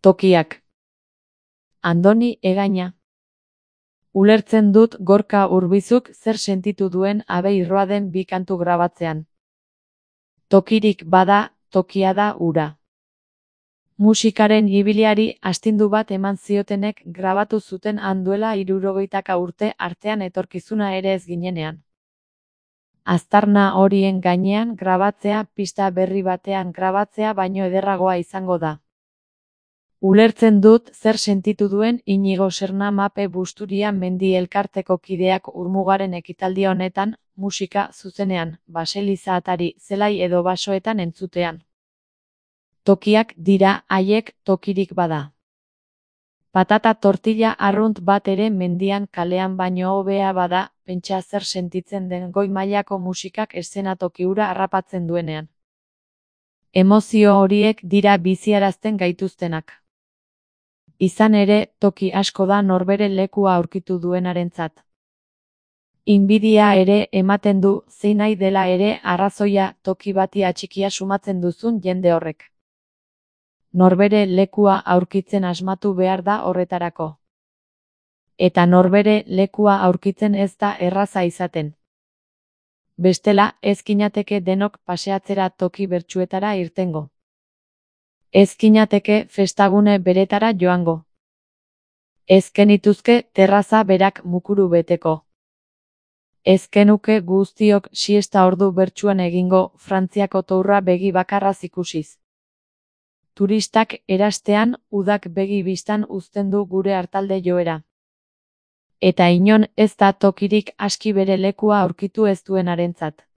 Tokiak. Andoni Egaña. Ulertzen dut Gorka Urbizuk zer sentitu duen Abei Roaden bi kantu grabatzean. Tokirik bada, tokia da hura. Musikaren ibiliari astindu bat eman ziotenek grabatu zuten han duela 60 urte artean etorkizuna ere ez ginenean. Aztarna horien gainean grabatzea pista berri batean grabatzea baino ederragoa izango da. Ulertzen dut zer sentitu duen Inigo Serna Mape Busturia Mendi elkarteko kideak Urmugaren ekitaldi honetan, musika zuzenean, baseliza atari, zelai edo basoetan entzutean. Tokiak dira haiek tokirik bada. Patata tortilla arrunt bat ere mendian kalean baino hobea bada, pentsa zer sentitzen den goi mailako musikak eszenatoki hura harrapatzen duenean. Emozio horiek dira biziarazten gaituztenak. Izan ere, toki asko da norbere lekua aurkitu duenarentzat. Inbidia ere ematen du, zein nahi dela ere arrazoia toki bati atxikia sumatzen duzun jende horrek. Norbere lekua aurkitzen asmatu behar da horretarako. Eta norbere lekua aurkitzen ez da erraza izaten. Bestela, ez ginateke denok paseatzera toki bertsuetara irtengo. Ez ginateke festagune beretara joango. Ez genituzke terraza berak mukuru beteko. Ez genuke guztiok siesta ordu bertsuan egingo Frantziako tourra begi bakarraz ikusiz. Turistak erastean udak begi bistan uzten du gure artalde joera. Eta inon ez da tokirik aski bere lekua aurkitu ez duenarentzat.